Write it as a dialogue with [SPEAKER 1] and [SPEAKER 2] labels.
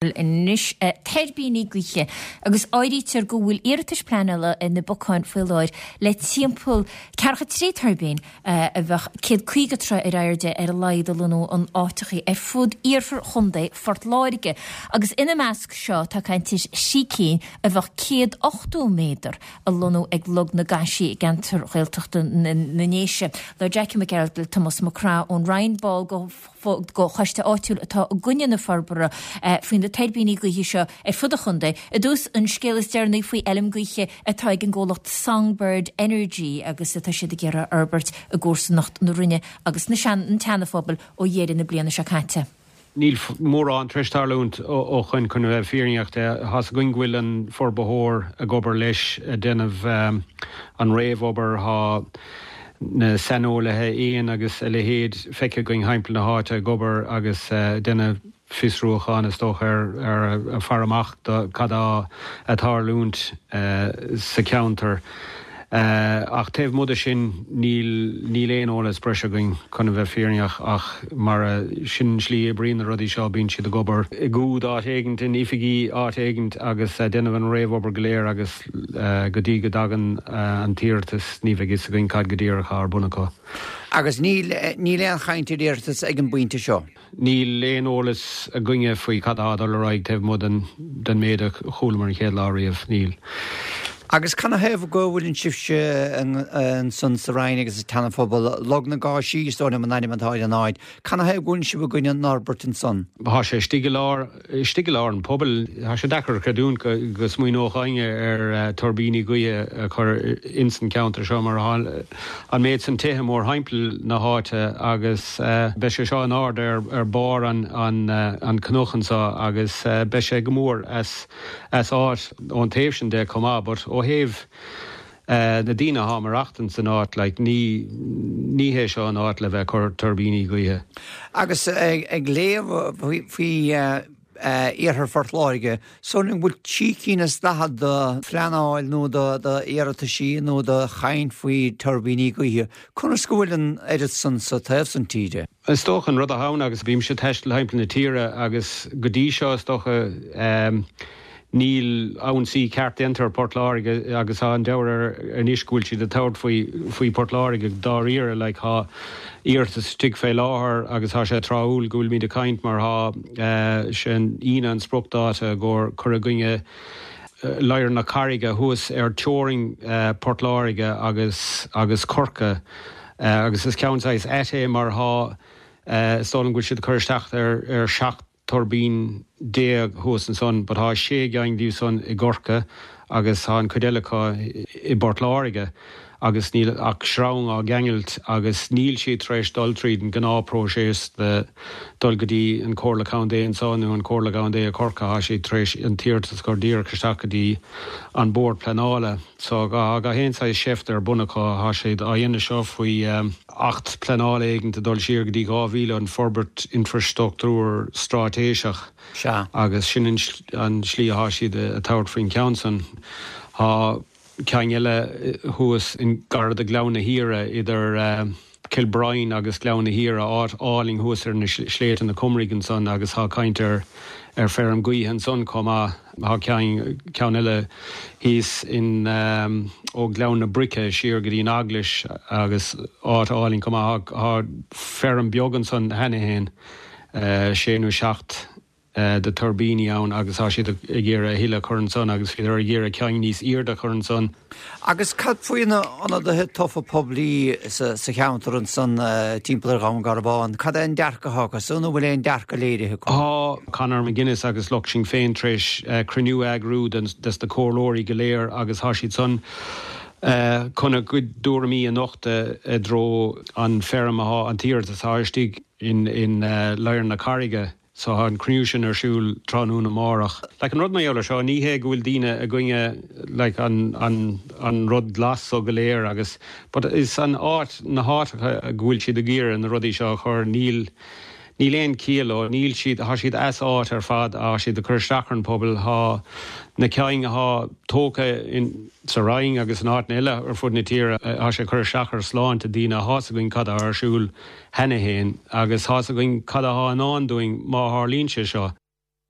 [SPEAKER 1] Anois, tuirbíní gaoithe, agus áirítear go bhfuil iarratais pleanála ina bpocáin faoi láthair le timpeall ceathracha 3 tuirbín a bheadh 150 troigh ar airde ar a laghad a lonnú in áiteachaí ar fud iarthar chontae Phort Láirge, agus ina measc seo tá caint ar thrí cinn a bheadh 180 méadar a lonnú ag Log na gCaisí i gceantar Ghaeltachta na nDéise. Labhair Jackie Mac Gearailt le Tomás Mac Craith ón Rinn, ball de de choiste áitiúil atá i gcoinne na forbartha faoi na tuirbíní gaoithe seo ar fud an chontae. I dtús, an scéal is deireanaí faoi fheilm gaoithe atá ag an gcomhlacht Songbird Energy agus atá siad ag iarraidh a fhorbairt i gcomharsanacht na Rinne agus na an tSeana-Phobail ó dheireadh na bliana seo caite.
[SPEAKER 2] Níl mórán tar éis tarlúint ó shoin chun a bheith fírinneach de. Tá's againn go bhfuil an forbarthóir ag obair leis ag déanamh an réamhobair. Tá na saineolaithe éan agus a leithéid feicthe againn thimpeall na háite ag obair agus ag déanamh fiosrúcháin is dócha ar ag faire amach do cad atá ag tarlúint sa cheantar. Ach taobh amuigh de sin níl níl aon eolas breise againn chun a bheith fírinneach ach mar a sin an slí a oibríonn na rudaí seo bíonn siad ag obair i gcúd áit éigint in oifigí áit éigint agus ag déanamh an réamhobair go léir agus Go dtí go dtagann an t-iarratas ní bheidh fhios againn cad go díreach atá ar bun acu.
[SPEAKER 3] Agus níl, níl aon chaint ar iarratas ag an bpointe seo?
[SPEAKER 2] Níl aon eolas againne faoi cad atá ag dul ar aghaidh taobh amuigh den, den méid a chualamar an chéad lá riamh. Níl.
[SPEAKER 3] Agus canathaobh go bhfuileann sibhse ansan sa Rinn agus sa tSeana-Phobal, Log na gCáisí is dóigh liom an ainm atá ar an áit, canathaobh go bhfuileann sibh i gcoinne an fhorbairt ansan?
[SPEAKER 2] Tá sé istigh i lár. Istigh i lár an phobail, tá sé deacair a chreidiúint go smaoineodh éinne ar tuirbíní gaoithe a chur ins an cheantar seo mar tá an méid san tithe mórthimpeall na háite agus beidh sé seo in ard ar barr an chnoic anseo agus beidh sé go mór as áit ón taobh sin de chomh maith but ó thaobh na daoine athá maireachtaint san áit, like, ní, ní hé seo an áit le bheith ag cur tuirbíní gaoithe.
[SPEAKER 3] Agus ag léamh faoi iarthar Phort Láirge, is dóigh liom go bhfuil trí cinn is daichead de phleanáil nó d'iarrataisí nó de chaint faoi tuirbíní gaoithe. Conas go bhfuil an oiread san sa taobh san tíre?
[SPEAKER 2] Is dócha an rud atá ann, agus bímse ag taisteal thimpeall na tíre agus go dtí seo is dócha, Níl ionsaí ceart déanta ar Port Láirge agus tá an deabhadh air anois go bhfuil siad ag tabhairt faoi faoi Port Láirge dáiríre. Like tá iarratas istigh fé láthair agus tá sé tráthúil go bhfuilimid ag caint mar tá sé an Aoine an spriocdáta i gcomhair cur i gcoinne Ladhar na Carraige thuas ar teorainn Port Láirge agus agus Corcaigh agus is ceann saghas ait é mar tá is dóigh liom go bhfuil siad ag cur isteach ar ar 17 tuirbín thuas ansan but tá sé gcinn díobh san i gCorcaigh agus tá an chuid eile acu i bPort Láirge agus níl ach sreang á gceangailt agus níl siad tar éis dul tríd an gnáthphróiseas de dul go dtí an Comhairle Contae anso nó an Comhairle Contae i Corcaigh, tá siad tar éis an t-iarratas a chur díreach isteach go dtí an Bord Pleanála. So tá gach aon saghas seift ar bun acu, tá siad á dhéanamh seo faoi. Acht pleanála éigint ag dul siar go dtí 2000, an Forbairt Infreastruchtúir Straitéiseach,
[SPEAKER 3] Sea.
[SPEAKER 2] agus sin an slí athá siad ag tabhairt faoin cheann san. Tá ceann eile thuas in gar do Ghleann na hAoire, idir Cill Broin agus Gleann na hAoire, áit álainn thuas ar na sléibhte na Cumraigh ansan agus tá caint ar feirm gaoithe ansan chomh maith. Tá ceann, ceann eile thíos in, ó Ghleann na Broice siar go dtí an Eaglais agus áit álainn chomh maith. Tá feirm beag ansan cheana fhéin, sé nó seacht de tuirbíní ann agus tá siad ag iarraidh a thuilleadh a chur ansan agus bhíodar ag iarraidh ceann níos airde a chur ansan.
[SPEAKER 3] Agus cad faoi na ionadaithe tofa poiblí sa cheantar ansan timpeall ar Dhún Garbhán? Cad é an dearcadh atá acu san, nó bhfuil aon dearcadh léirithe acu?
[SPEAKER 2] Tá Conor McGuinness agus lucht Sinn Féin tar éis cruinniú a eagrú des na comhairleoirí go léir agus tá siad san chun a gcuid dtuairimí a nochtadh i dtreo an feirm atá, an t-iarratas atá istigh in Ladhar na Carraige. So tá an cruinniú sin ar siúl tráthnóna amárach. Like an rud mar gheall ar seo, ní hé go bhfuil daoine i gcoinne like an an an rud glas so go léir agus but is an áit, na háiteacha go bhfuil siad ag iarraidh na rudaí seo a chur, níl níl aon chiall leo, níl siad, tá siad as áit ar fad, tá siad ag cur isteach ar an pobal, tá na cinn athá tógtha in sa Rinn agus in áiteanna eile ar fud na tíre, tá sé ag cur isteach ar sláinte daoine, tá's againn cad atá ar siúl cheana fhéin agus tá's againn cad athá i ndán dúinn má tharlaíonn sé seo.